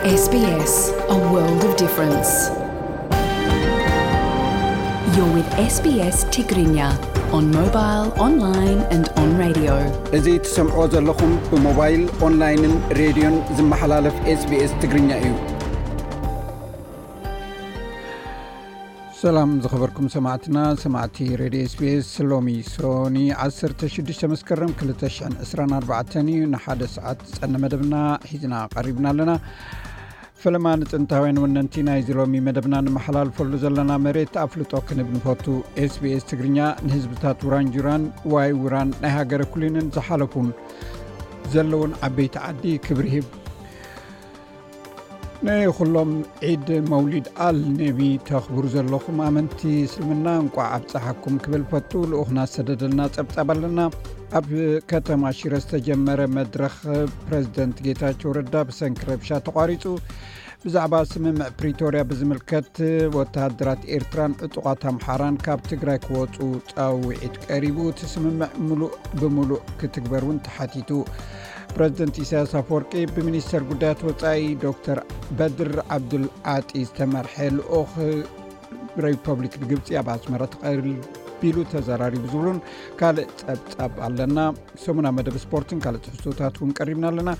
S B S, a world of difference. You're with S B S Tigrinya on mobile, online and on radio. እዚ ትሰምዕዎ ዘለኹም ብሞባይል፣ ኦንላይንን ሬድዮን ዝመሓላለፍ S B S ትግርኛ እዩ። ሰላም ዝኸበርኩም ሰማዕትና፣ ሰማዕቲ ሬድዮ S B S፣ ሎሚ ሶኒ ዓሰርተ ሽዱሽተ መስከረም ክልተ ሽሕን ዕስራን ኣርባዕተን እዩ። ንሓደ ሰዓት ዝጸነ መደብና ሒዝና ቀሪብና ኣለና። ፈለማ ንጥንታውያን ወነንቲ ናይዚ ሎሚ መደብና ንመሓላልፈሉ ዘለና መሬት ኣፍልጦ ክንብ ንፈቱ። S B S ትግርኛ ንህዝብታት ውራንጁራን ዋይ ውራን ናይ ሃገረ ኩሊንን ዝሓለፉን ዘለውን ዓበይቲ ዓዲ ክብሪ ሂብ። ንኹሎም ዒድ መውሊድ ኣል ነቢ ተኽብሩ ዘለኹም ኣመንቲ እስልምና እንቋዕ ኣብፀሓኩም ክብል ፈቱ። ልኡኽና ሰደደልና ጸብጻብ ኣለና። ኣብ ከተማ ሽረ ዝተጀመረ መድረኽ ፕረዚደንት ጌታቸው ረዳ ብሰንኪ ረብሻ ተቋሪጹ። ብዛዕባ ስምምዕ ፕሪቶርያ ብዝምልከት ወተሃደራት ኤርትራን ዕጡቓት ኣምሓራን ካብ ትግራይ ክወጹ ጻውዒት ቀሪቡ። እቲ ስምምዕ ምሉእ ብምሉእ ክትግበር እውን ተሓቲቱ። ፕረዚደንት ኢሳያስ ኣፈወርቂ ብሚኒስተር ጉዳያት ወጻኢ ዶክተር በድር ዓብዱል ዓጢ ዝተመርሐ ልኡኽ ሪፐብሊክ ግብጺ ኣብ ኣስመራ ተቐቢሉ ተዘራሪቡ ዝብሉን ካልእ ጸብጻብ ኣለና። ሰሙና መደብ ስፖርትን ካልእ ትሕዝቶታት እውን ቀሪብና ኣለና።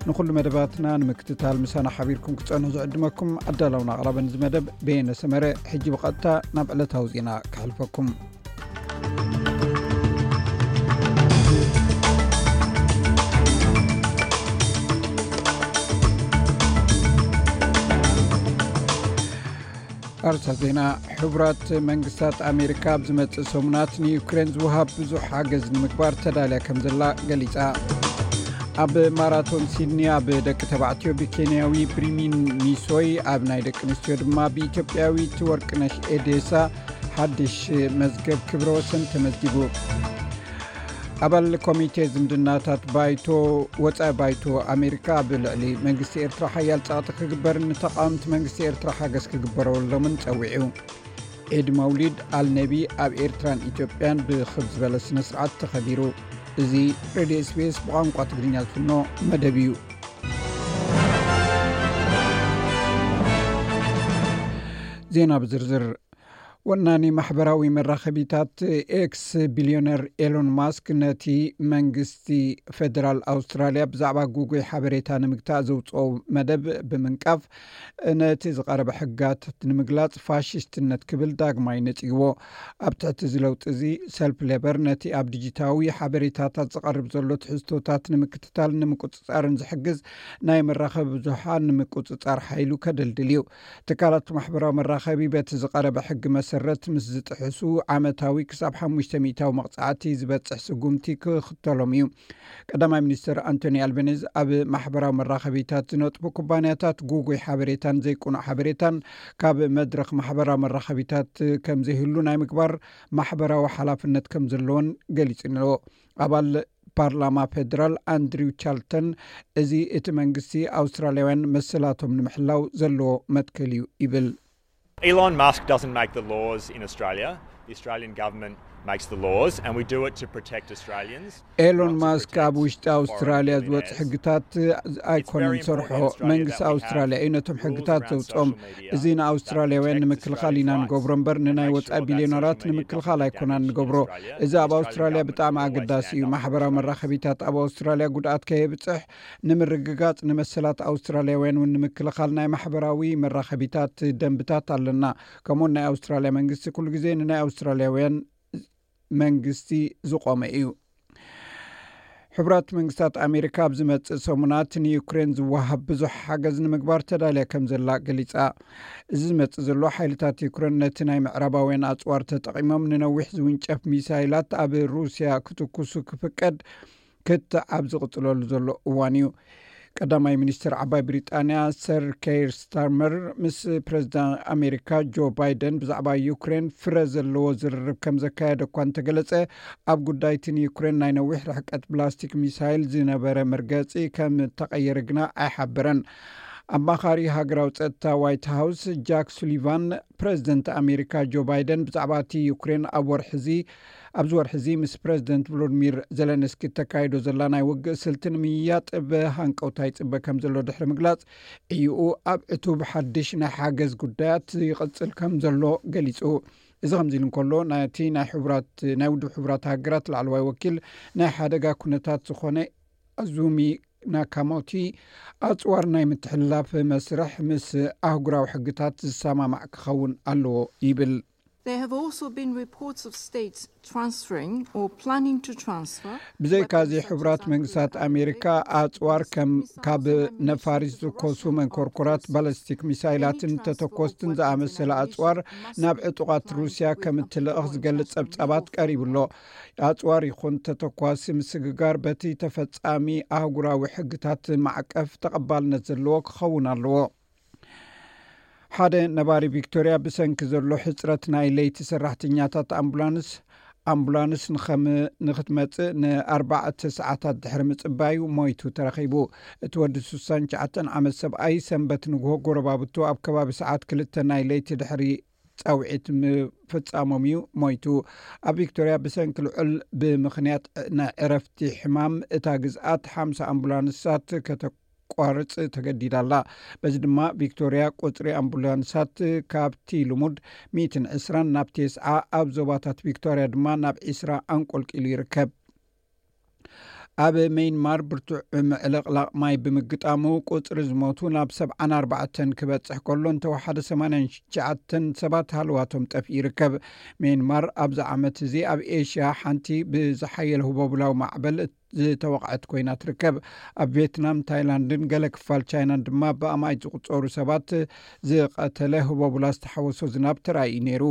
ንኹሉ መደባትና ንምክትታል ምሳና ሓቢርኩም ክትጸንሑ ዝዕድመኩም ኣዳላውን ኣቕራብን እዚ መደብ በየነ ሰመረ። ሕጂ ብቐጥታ ናብ ዕለታዊ ዜና ከሕልፈኩም። ኣርእስታት ዜና። ሕቡራት መንግስታት ኣሜሪካ ኣብ ዝመጽእ ሰሙናት ንዩክሬን ዝወሃብ ብዙሕ ሓገዝ ንምግባር ተዳልያ ከም ዘላ ገሊጻ። ኣብ ማራቶን ሲድኒ ኣብ ደቂ ተባዕትዮ ብኬንያዊ ብሪሚን ሚሶይ፣ ኣብ ናይ ደቂ ኣንስትዮ ድማ ብኢትዮጵያዊት ወርቅነሽ ኤዴሳ ሓድሽ መዝገብ ክብረ ወሰን ተመዝጊቡ። ኣባል ኮሚቴ ዝምድናታት ባይቶ፣ ወጻኢ ባይቶ ኣሜሪካ ኣብ ልዕሊ መንግስቲ ኤርትራ ሓያል ጸቕጢ ክግበርን ንተቓወምቲ መንግስቲ ኤርትራ ሓገዝ ክግበረሎምን ጸዊዑ። ዒድ መውሊድ ኣልነቢ ኣብ ኤርትራን ኢትዮጵያን ብኽብ ዝበለ ስነ ስርዓት ተኸቢሩ። እዚ ሬድዮ S B S ብቋንቋ ትግርኛ ዝፍኖ መደብ እዩ። ዜና ብዝርዝር። ወናኒ ማሕበራዊ መራኸቢታት ኤክስ ቢልዮነር ኤሎን ማስክ ነቲ መንግስቲ ፌደራል ኣውስትራልያ ብዛዕባ ጉጉይ ሓበሬታ ንምግታእ ዘውፅኦ መደብ ብምንቃፍ፣ ነቲ ዝቐረበ ሕግጋት ንምግላጽ ፋሽስትነት ክብል ዳግማይ ነጺግዎ። ኣብ ትሕቲ እዚ ለውጢ እዚ፣ ሰልፊ ሌበር ነቲ ኣብ ዲጂታዊ ሓበሬታታት ዝቐርብ ዘሎ ትሕዝቶታት ንምክትታልን ንምቁጽጻርን ዝሕግዝ ናይ መራኸቢ ብዙሓን ንምቁጽጻር ሓይሉ ከደልድል እዩ። ትካላት ማሕበራዊ መራኸቢ በቲ ዝቐረበ ሕጊ መሰረት ምስ ዝጥሕሱ፣ ዓመታዊ ክሳብ ሓሙሽተ ሚእታዊ መቕጻዕቲ ዝበጽሕ ስጉምቲ ክኽተሎም እዩ። ቀዳማይ ሚኒስትር ኣንቶኒ ኣልበኒዝ ኣብ ማሕበራዊ መራኸቢታት ዝነጥፉ ኩባንያታት ጉጉይ ሓበሬታን ዘይቅኑዕ ሓበሬታን ካብ መድረኽ ማሕበራዊ መራኸቢታት ከም ዘይህሉ ናይ ምግባር ማሕበራዊ ሓላፍነት ከም ዘለዎን ገሊጹ ኣሎ። ኣባል ፓርላማ ፌደራል ኣንድሪው ቻልተን፣ እዚ እቲ መንግስቲ ኣውስትራልያውያን መሰላቶም ንምሕላው ዘለዎ መትከል እዩ ይብል። Elon Musk doesn't make the laws in Australia. The Australian government makes the laws, and we do it to protect Australians. ኤሎን ማስክ ኣብ ውሽጢ ኣውስትራልያ ዝወፅ ሕግታት ኣይኮነን ዝሰርሖ። መንግስቲ ኣውስትራልያ እዩ ነቶም ሕግታት ዘውፅኦም። እዚ ንኣውስትራልያውያን ንምክልኻል ኢና ንገብሮ እምበር ንናይ ወፃኢ ቢልዮነራት ንምክልኻል ኣይኮናን ንገብሮ። እዚ ኣብ ኣውስትራልያ ብጣዕሚ ኣገዳሲ እዩ። ማሕበራዊ መራኸቢታት ኣብ ኣውስትራልያ ጉድኣት ከየብፅሕ ንምርግጋፅ፣ ንመሰላት ኣውስትራልያውያን እውን ንምክልኻል ናይ ማሕበራዊ መራኸቢታት ደንብታት ኣለና። ከምኡውን ናይ ኣውስትራልያ መንግስቲ ኩሉ ግዜ ንናይ ኣውስትራልያውያን መንግስቲ ዝቆመ እዩ። ሕቡራት መንግስታት ኣሜሪካ ኣብ ዝመጽእ ሰሙናት ንዩክሬን ዝወሃብ ብዙሕ ሓገዝ ንምግባር ተዳልያ ከም ዘላ ገሊጻ። እዚ ዝመጽእ ዘሎ ሓይልታት ዩክሬን ነቲ ናይ ምዕራባውያን ኣጽዋር ተጠቒሞም ንነዊሕ ዝውንጨፍ ሚሳይላት ኣብ ሩስያ ክትኩሱ ክፍቀድ ክትዕ ኣብ ዝቕጽለሉ ዘሎ እዋን እዩ። ቀዳማይ ሚኒስትር ዓባይ ብሪጣንያ ሰር ኬር ስታርመር ምስ ፕረዚዳንት ኣሜሪካ ጆ ባይደን ብዛዕባ ዩክሬን ፍረ ዘለዎ ዝርርብ ከም ዘካየደ እኳ እንተገለጸ፣ ኣብ ጉዳይ እቲ ንዩክሬን ናይ ነዊሕ ርሕቀት ብላስቲክ ሚሳይል ዝነበረ መርገጺ ከም እተቐየረ ግና ኣይሓበረን። ኣማኻሪ ሃገራዊ ጸጥታ ዋይት ሃውስ ጃክ ሱሊቫን፣ ፕረዚደንት ኣሜሪካ ጆ ባይደን ብዛዕባ እቲ ዩክሬን ኣብ ወርሒ እዚ ኣብዚ ወርሒ እዚ ምስ ፕረዚደንት ቮሎድሚር ዘለንስኪ እተካይዶ ዘላ ናይ ውግእ ስልቲ ንምይያጥ ብሃንቀውታ ይጽበ ከም ዘሎ ድሕሪ ምግላጽ፣ ዕዩኡ ኣብ ዕቱብ ሓድሽ ናይ ሓገዝ ጉዳያት ይቕጽል ከም ዘሎ ገሊጹ። እዚ ከምዚ ኢሉ እንከሎ፣ ናይቲ ናይ ሕቡራት ናይ ውድብ ሕቡራት ሃገራት ላዕለዋይ ወኪል ናይ ሓደጋ ኩነታት ዝኾነ ኣዙሚ ናካሞቲ፣ ኣጽዋር ናይ ምትሕልላፍ መስርሕ ምስ ኣህጉራዊ ሕግታት ዝሰማማዕ ክኸውን ኣለዎ ይብል። There have also been reports of states transferring or planning to transfer. ብዘይካዚ፣ ሕቡራት መንግስታት ኣሜሪካ ኣጽዋር ከም ካብ ነፋሪት ዝኮሱ መንኮርኮራት፣ ባለስቲክ ሚሳይላትን ተተኮስትን ዝኣመሰለ ኣጽዋር ናብ ዕጡቓት ሩስያ ከም እትልእኽ ዝገልጽ ጸብጻባት ቀሪቡ ኣሎ። ኣጽዋር ይኹን ተተኳሲ ምስግጋር በቲ ተፈጻሚ ኣህጉራዊ ሕግታት ማዕቀፍ ተቐባልነት ዘለዎ ክኸውን ኣለዎ። ሓደ ነባሪ ቪክቶርያ ብሰንኪ ዘሎ ሕጽረት ናይ ለይቲ ሰራሕተኛታት ኣምቡላንስ፣ ኣምቡላንስ ንኸም ንክትመጽእ ንኣርባዕተ ሰዓታት ድሕሪ ምጽባዩ ሞይቱ ተረኺቡ። እቲ ወዲ ስሳን ትሽዓተን ዓመት ሰብኣይ ሰንበት ንግሆ ጎረባብቱ ኣብ ከባቢ ሰዓት ክልተ ናይ ለይቲ ድሕሪ ጻውዒት ምፍጻሞም እዩ ሞይቱ። ኣብ ቪክቶርያ ብሰንኪ ልዑል ብምኽንያት ናይ ዕረፍቲ ሕማም እታ ግዝኣት ሓምሳ ኣምቡላንሳት ከተቋርጽ ተገዲዳ ኣላ። በዚ ድማ ቪክቶርያ ቁጽሪ ኣምቡላንሳት ካብቲ ልሙድ ሚእትን ዕስራን ናብ ቴስዓ፣ ኣብ ዞባታት ቪክቶርያ ድማ ናብ ዒስራ ኣንቆልቂሉ ይርከብ። ኣብ ሜይንማር ብርቱዕ ምዕልቕላቕ ማይ ብምግጣሙ ቁጽሪ ዝሞቱ ናብ ሰብዓን ኣርባዕተን ክበጽሕ ከሎ፣ እንተወሓደ ሰማንያን ትሽዓተን ሰባት ሃለዋቶም ጠፊኡ ይርከብ። ሜይንማር ኣብዚ ዓመት እዚ ኣብ ኤሽያ ሓንቲ ብዝሓየለ ህቦብላዊ ማዕበል ዝተወቕዐት ኮይና ትርከብ። ኣብ ቬትናም፣ ታይላንድን ገለ ክፋል ቻይናን ድማ ብኣማኢት ዝቑጸሩ ሰባት ዝቐተለ ህቦብላ ዝተሓወሶ ዝናብ ተራእዩ ነይሩ።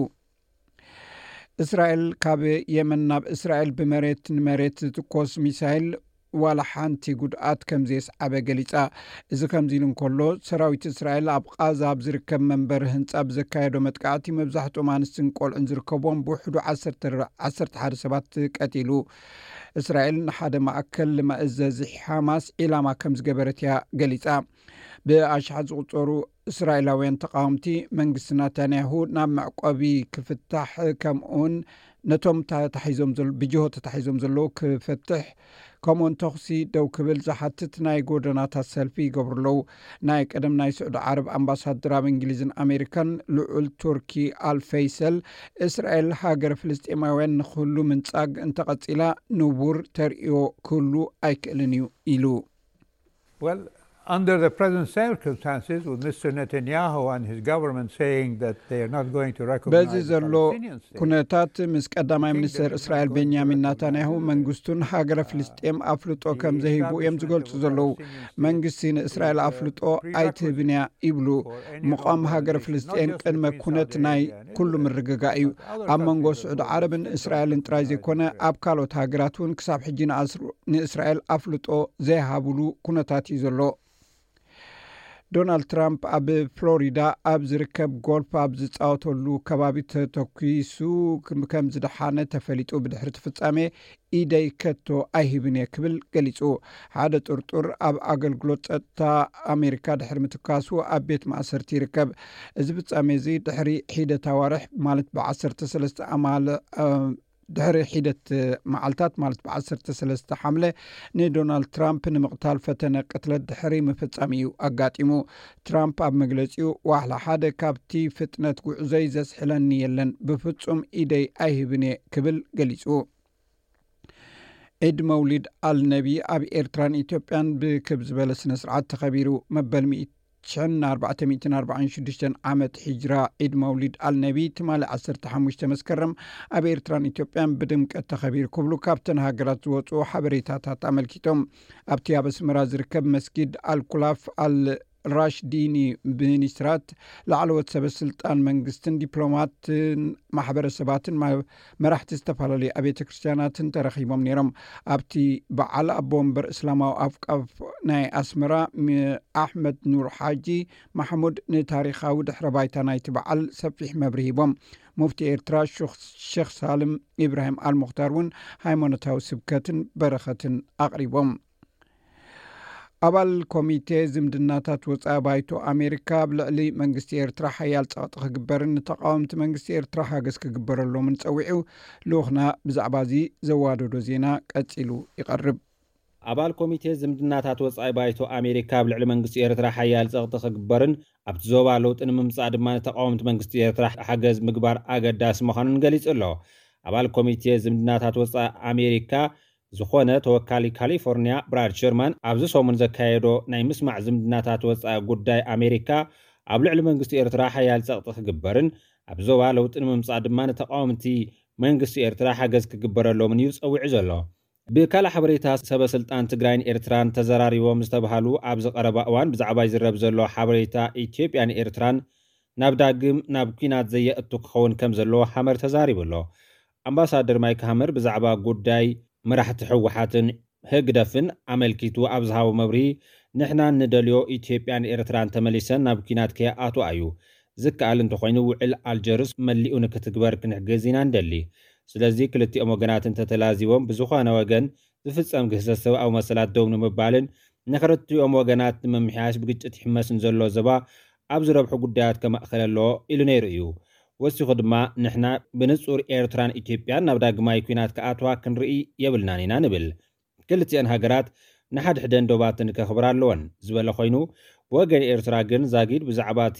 እስራኤል ካብ የመን ናብ እስራኤል ብመሬት ንመሬት ዝትኮስ ሚሳይል ዋላ ሓንቲ ጉድኣት ከም ዘየስዓበ ገሊጻ። እዚ ከምዚ ኢሉ እንከሎ፣ ሰራዊት እስራኤል ኣብ ቓዛ ኣብ ዝርከብ መንበሪ ህንጻ ብዘካየዶ መጥቃዕቲ፣ መብዛሕትኦም ኣንስትን ቆልዑን ዝርከብዎም ብውሕዱ ዓሰርተ፣ ዓሰርተ ሓደ ሰባት ቀቲሉ። እስራኤል ንሓደ ማእከል መእዘዚ ሓማስ ዒላማ ከም ዝገበረት እያ ገሊጻ። ብኣሽሓት ዝቑጸሩ እስራኤላውያን ተቓወምቲ፣ መንግስቲ ናታንያሁ ናብ መዕቆቢ ክፍታሕ፣ ከምኡውን ነቶም ተታሒዞም ዘል-፣ ብጅሆ ተታሒዞም ዘለዉ ክፈትሕ፣ ከምኡውን ተኹሲ ደው ክብል ዝሓትት ናይ ጎደናታት ሰልፊ ይገብሩ ኣለዉ። ናይ ቀደም ናይ ስዑዲ ዓረብ ኣምባሳደር ኣብ እንግሊዝን ኣሜሪካን ልዑል ቱርኪ ኣል ፈይሰል፣ እስራኤል ሃገር ፍልስጤማውያን ንክህሉ ምንጻግ እንተቐጺላ፣ ንቡር ተርእዮ ክህሉ ኣይክእልን እዩ ኢሉ። Well, under the present circumstances, with Mister Netanyahu and his government saying that they are not going to recognize በዚ the ዘሎ Palestinian state, ኩነታት፣ ምስ ቀዳማይ ሚኒስትር እስራኤል ቤንያሚን ናታንያሁ መንግስቱን ሃገረ ፍልስጤም ኣፍልጦ ከም ዘይህቡ እዮም ዝገልጹ ዘለዉ። መንግስቲ ንእስራኤል ኣፍልጦ ኣይትህብን እያ ይብሉ። ምቋም ሃገረ ፍልስጤም ቅድመ ኩነት ናይ ኩሉ ምርግጋእ እዩ። ኣብ መንጎ ስዑዲ ዓረብን እስራኤልን ጥራይ ዘይኮነ፣ ኣብ ካልኦት ሃገራት እውን ክሳብ ሕጂ ንኣስሩ-፣ ንእስራኤል ኣፍልጦ ዘይሃብሉ ኩነታት እዩ ዘሎ። ዶናልድ ትራምፕ ኣብ ፍሎሪዳ ኣብ ዝርከብ ጎልፍ ኣብ ዝጻወተሉ ከባቢ ተተኲሱ ከም ዝደሓነ ተፈሊጡ፣ ብድሕሪ እቲ ፍጻሜ ኢደይ ከቶ ኣይህብን እየ ክብል ገሊጹ። ሓደ ጥርጡር ኣብ ኣገልግሎት ጸጥታ ኣሜሪካ ድሕሪ ምትካሱ ኣብ ቤት ማእሰርቲ ይርከብ። እዚ ፍጻሜ እዚ ድሕሪ ሒደት ኣዋርሕ፣ ማለት ብ ዓሰርተ ሰለስተ ኣማል ድሕሪ ሒደት መዓልታት፣ ማለት ብ ዓሰርተ ሰለስተ ሓምለ፣ ንዶናልድ ትራምፕ ንምቕታል ፈተነ ቅትለት ድሕሪ ምፍጻም እዩ ኣጋጢሙ። ትራምፕ ኣብ መግለጺኡ፣ ዋሕላ ሓደ ካብቲ ፍጥነት ጉዕዞይ ዘስሕለኒ የለን፣ ብፍጹም ኢደይ ኣይህብን እየ ክብል ገሊጹ። ዒድ መውሊድ ኣልነቢ ኣብ ኤርትራን ኢትዮጵያን ብክብ ዝበለ ስነ ስርዓት ተኸቢሩ። መበል ሚእቲ ሽሕን ኣርባዕተ ሚእትን ኣርባዓን ሽዱሽተን ዓመት ሒጅራ፣ ዒድ መውሊድ ኣልነቢ፣ ትማሊ ዓሰርተ ሓሙሽተ መስከረም ኣብ ኤርትራን ኢትዮጵያን ብድምቀት ተኸቢሩ ክብሉ ካብተን ሃገራት ዝወፁ ሓበሬታታት ኣመልኪቶም። ኣብቲ ኣብ ኣስመራ ዝርከብ መስጊድ ኣልኩላፍ ኣል ራሽዲኒ፣ ሚኒስትራት፣ ላዕለዎት ሰበ ስልጣን መንግስትን ዲፕሎማትን ማሕበረሰባትን ማ-፣ መራሕቲ ዝተፈላለዩ ኣብያተ ክርስቲያናትን ተረኺቦም ነይሮም። ኣብቲ በዓል ኣቦ ወንበር እስላማዊ ኣውቃፍ ናይ ኣስመራ ሚ-፣ ኣሕመድ ኑር ሓጂ ማሕሙድ ንታሪኻዊ ድሕረ ባይታ ናይቲ በዓል ሰፊሕ መብርሂ ሂቦም። ሙፍቲ ኤርትራ ሹኽ-፣ ሼኽ ሳልም ኢብራሂም ኣልሙኽታር እውን ሃይማኖታዊ ስብከትን በረኸትን ኣቕሪቦም። ኣባል ኮሚቴ ዝምድናታት ወጻኢ ባይቶ ኣሜሪካ ኣብ ልዕሊ መንግስቲ ኤርትራ ሓያል ጸቕጢ ክግበርን ንተቓወምቲ መንግስቲ ኤርትራ ሓገዝ ክግበረሎምን ጸዊዑ። ልኡኽና ብዛዕባ እዚ ዘዋደዶ ዜና ቀጺሉ ይቐርብ። ኣባል ኮሚቴ ዝምድናታት ወጻኢ ባይቶ ኣሜሪካ ኣብ ልዕሊ መንግስቲ ኤርትራ ሓያል ጸቕጢ ክግበርን ኣብቲ ዞባ ለውጢ ንምምጻእ ድማ ንተቓወምቲ መንግስቲ ኤርትራ ሓገዝ ምግባር ኣገዳሲ ምዃኑን ገሊጹ ኣሎ። ኣባል ኮሚቴ ዝምድናታት ወጻኢ ኣሜሪካ ዝኾነ ተወካሊ ካሊፎርኒያ ብራድ ሸርማን ኣብዚ ሰሙን ዘካየዶ ናይ ምስማዕ ዝምድናታት ወጻኢ ጉዳይ ኣሜሪካ ኣብ ልዕሊ መንግስቲ ኤርትራ ሓያል ጸቕጢ ክግበርን ኣብ ዞባ ለውጢ ንምምጻእ ድማ ንተቓወምቲ መንግስቲ ኤርትራ ሓገዝ ክግበረሎምን እዩ ጸዊዑ ዘሎ። ብካልእ ሓበሬታ፣ ሰበ ስልጣን ትግራይን ኤርትራን ተዘራሪቦም ዝተባሃሉ ኣብዚ ቀረባ እዋን ብዛዕባ ይዝረብ ዘሎ ሓበሬታ ኢትዮጵያን ኤርትራን ናብ ዳግም ናብ ኲናት ዘየእቱ ክኸውን ከም ዘለዎ ሃመር ተዛሪቡ ኣሎ። ኣምባሳደር ማይክ ሃመር ብዛዕባ ጉዳይ መራሕቲ ህወሓትን ህግደፍን ኣመልኪቱ ኣብ ዝሃቦ መብርሂ፣ ንሕና እንደልዮ ኢትዮጵያን ኤርትራን ተመሊሰን ናብ ኲናት ከይኣትዋ እዩ። ዝከኣል እንተኾይኑ ውዕል ኣልጀርስ መሊኡ ንክትግበር ክንሕግዝ ኢና እንደሊ። ስለዚ ክልቲኦም ወገናት እንተተላዚቦም ብዝኾነ ወገን ዝፍጸም ግህሰት ሰብኣዊ መሰላት ደው ንምባልን ንክልቲኦም ወገናት ንምምሕያሽ ብግጭት ይሕመስን ዘሎ ዞባ ኣብ ዝረብሑ ጉዳያት ከማእኸል ኣለዎ ኢሉ ነይሩ እዩ። ወሲኹ ድማ ንሕና ብንጹር ኤርትራን ኢትዮጵያን ናብ ዳግማይ ኲናት ክኣትዋ ክንርኢ የብልናን ኢና ንብል። ክልቲአን ሃገራት ንሓድሕደን ዶባትን ከኽብራ ኣለወን ዝበለ ኮይኑ፣ ብወገን ኤርትራ ግን ዛጊድ ብዛዕባ እቲ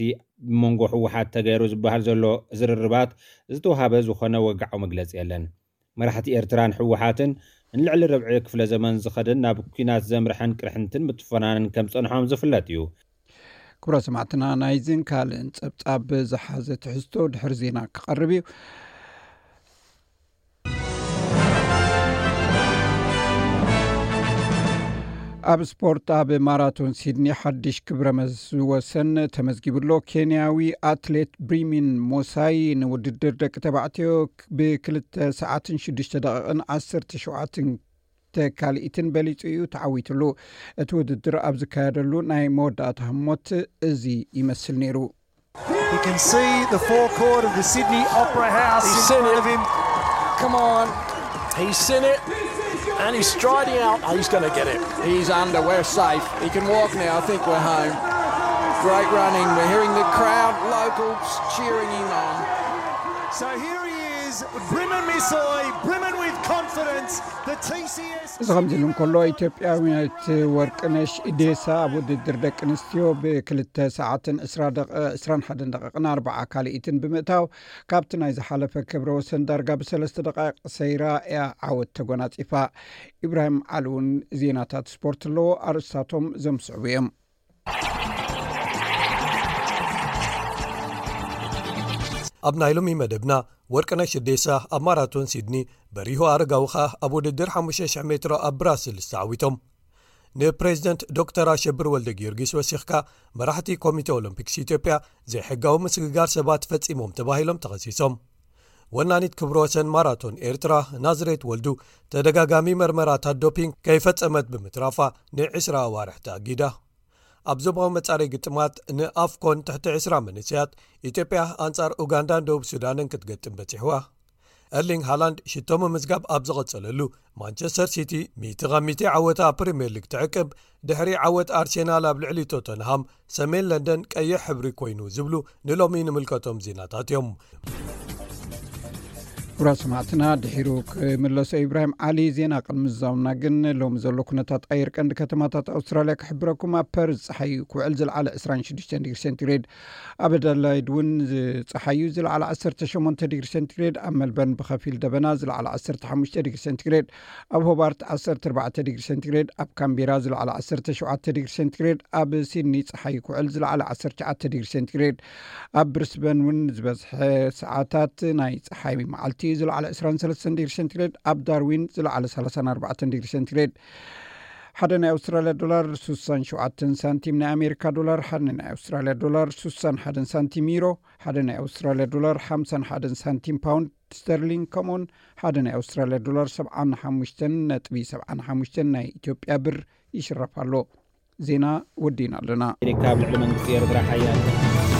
ብመንጎ ህወሓት ተገይሩ ዝበሃል ዘሎ ዝርርባት ዝተውሃበ ዝኾነ ወግዓዊ መግለጺ የለን። መራሕቲ ኤርትራን ህወሓትን ንልዕሊ ርብዒ ክፍለ ዘመን ዝኸደን ናብ ኲናት ዘምርሐን ቅርሕንትን ምትፈናንን ከም ጸንሖም ዝፍለጥ እዩ። ክቡራት ሰማዕትና፣ ናይዝን ካልእን ጸብጻብ ዝሓዘ ትሕዝቶ ድሕሪ ዜና ክቐርብ እዩ። ኣብ ስፖርት፣ ኣብ ማራቶን ሲድኒ ሓድሽ ክብረ መስ-፣ ወሰን ተመዝጊቡ ኣሎ። ኬንያዊ ኣትሌት ብሪሚን ሞሳይ ንውድድር ደቂ ተባዕትዮ ብክልተ ሰዓትን ሽዱሽተ ደቂቕን ዓሰርተ ሸውዓተን ካልኢትን በሊጹ እዩ ተዓዊትሉ። እቲ ውድድር ኣብ ዝካየደሉ ናይ መወዳእታ ህሞት እዚ ይመስል ነይሩ። He can see the forecourt of the Sydney Opera House in front of him. Come on. He's seen it. And he's striding out. Oh, he's going to get it. He's under. We're safe. He can walk now. I think we're home. Great running. We're hearing the crowd, locals cheering him on. So here he is, Brimmin Misoi, Brimmin with confidence. The T C S. እዚ ከምዚ ኢሉ እንከሎ፣ ኢትዮጵያዊት ወርቅነሽ ኢዴሳ ኣብ ውድድር ደቂ ኣንስትዮ ብክልተ ሰዓትን ዕስራ ደቂ-፣ ዕስራን ሓደን ደቂቕን ኣርብዓ ካልኢትን ብምእታው፣ ካብቲ ናይ ዝሓለፈ ክብረ ወሰን ዳርጋ ብሰለስተ ደቃይቕ ሰይራ እያ ዓወት ተጎናጺፋ። ኢብራሂም ዓሊ እውን ዜናታት ስፖርት ኣለዎ፣ ኣርእስታቶም ዘምስዕቡ እዮም። ኣብ ናይ ሎሚ መደብና፣ ወርቅነሽ ኢዴሳ ኣብ ማራቶን ሲድኒ በሪሁ ኣረጋዊ ኸኣ ኣብ ውድድር ሓሙሽተ ሽሕ ሜትሮ ኣብ ብራስልስ ተዓዊቶም። ንፕሬዚደንት ዶክተር ኣሸብር ወልደ ጊዮርጊስ ወሲኽካ፣ መራሕቲ ኮሚቴ ኦሎምፒክስ ኢትዮጵያ ዘይሕጋዊ ምስግጋር ሰባት ፈጺሞም ተባሂሎም ተኸሲሶም። ወናኒት ክብረ ወሰን ማራቶን ኤርትራ ናዝሬት ወልዱ፣ ተደጋጋሚ መርመራታት ዶፒንግ ከይፈጸመት ብምትራፋ ንዕስራ ኣዋርሕ ተኣጊዳ። ኣብ ዞባዊ መጻረይ ግጥማት ንኣፍኮን ትሕቲ ዕስራ መንእሰያት፣ ኢትዮጵያ ኣንጻር ኡጋንዳን ደቡብ ሱዳንን ክትገጥም በጺሕዋ። ኤርሊንግ ሃላንድ ሽቶ ምምዝጋብ ኣብ ዝቐጸለሉ፣ ማንቸስተር ሲቲ ሚእቲ ካብ ሚእቲ ዓወታ ኣብ ፕሪምየር ሊግ ትዕቅብ፣ ድሕሪ ዓወት ኣርሴናል ኣብ ልዕሊ ቶተንሃም፣ ሰሜን ለንደን ቀይሕ ሕብሪ ኮይኑ ዝብሉ ንሎሚ ንምልከቶም ዜናታት እዮም። ክቡራት ሰማዕትና፣ ድሒሩ ክምለሶ ኢብራሂም ዓሊ። ዜና ቅድሚ ምዝዛምና ግን፣ ሎሚ ዘሎ ኩነታት ኣየር ቀንዲ ከተማታት ኣውስትራልያ ክሕብረኩም። ኣብ ፐርዝ ጸሓይ ክውዕል፣ ዝለዓለ ዕስራን ሽዱሽተን ዲግሪ ሴንቲግሬድ፣ ኣብ ኣደላይድ እውን ዝ-፣ ጸሓዩ ዝለዓለ ዓሰርተ ሸሞንተ ዲግሪ ሴንቲግሬድ፣ ኣብ መልበርን ብኸፊል ደበና ዝለዓለ ዓሰርተ ሓሙሽተ ዲግሪ ሴንቲግሬድ፣ ኣብ ሆባርት ዓሰርተ ኣርባዕተ ዲግሪ ሴንቲግሬድ፣ ኣብ ካምቤራ ዝለዓለ ዓሰርተ ሸውዓተ ዲግሪ ሴንቲግሬድ፣ ኣብ ሲድኒ ጸሓይ ክውዕል ዝለዓለ ዓሰርተ ትሽዓተ ዲግሪ ሴንቲግሬድ፣ ኣብ ብሪስበን እውን ዝበዝሐ ሰዓታት ናይ ጸሓይ መዓልቲ ዝለዓለ ዕስራን ሰለስተን ዲግሪ ሴንቲግሬድ፣ ኣብ ዳርዊን ዝለዓለ ሰላሳን ኣርባዕተን ዲግሪ ሴንቲግሬድ። ሓደ ናይ ኣውስትራልያ ዶላር ስሳን ሸውዓተን ሳንቲም፣ ናይ ኣሜሪካ ዶላር ሓደ ናይ ኣውስትራልያ ዶላር ስሳን ሓደን ሳንቲም፣ ዩሮ ሓደ ናይ ኣውስትራልያ ዶላር ሓምሳን ሓደን ሳንቲም፣ ፓውንድ ስተርሊንግ ከምኡውን ሓደ ናይ ኣውስትራልያ ዶላር ሰብዓን ሓሙሽተን ነጥቢ ሰብዓን ሓሙሽተን ናይ ኢትዮጵያ ብር ይሽረፍ ኣሎ። ዜና ወዲእና ኣለና። ኣሜሪካ ኣብ ልዕሊ መንግስቲ ኤርትራ ሓያል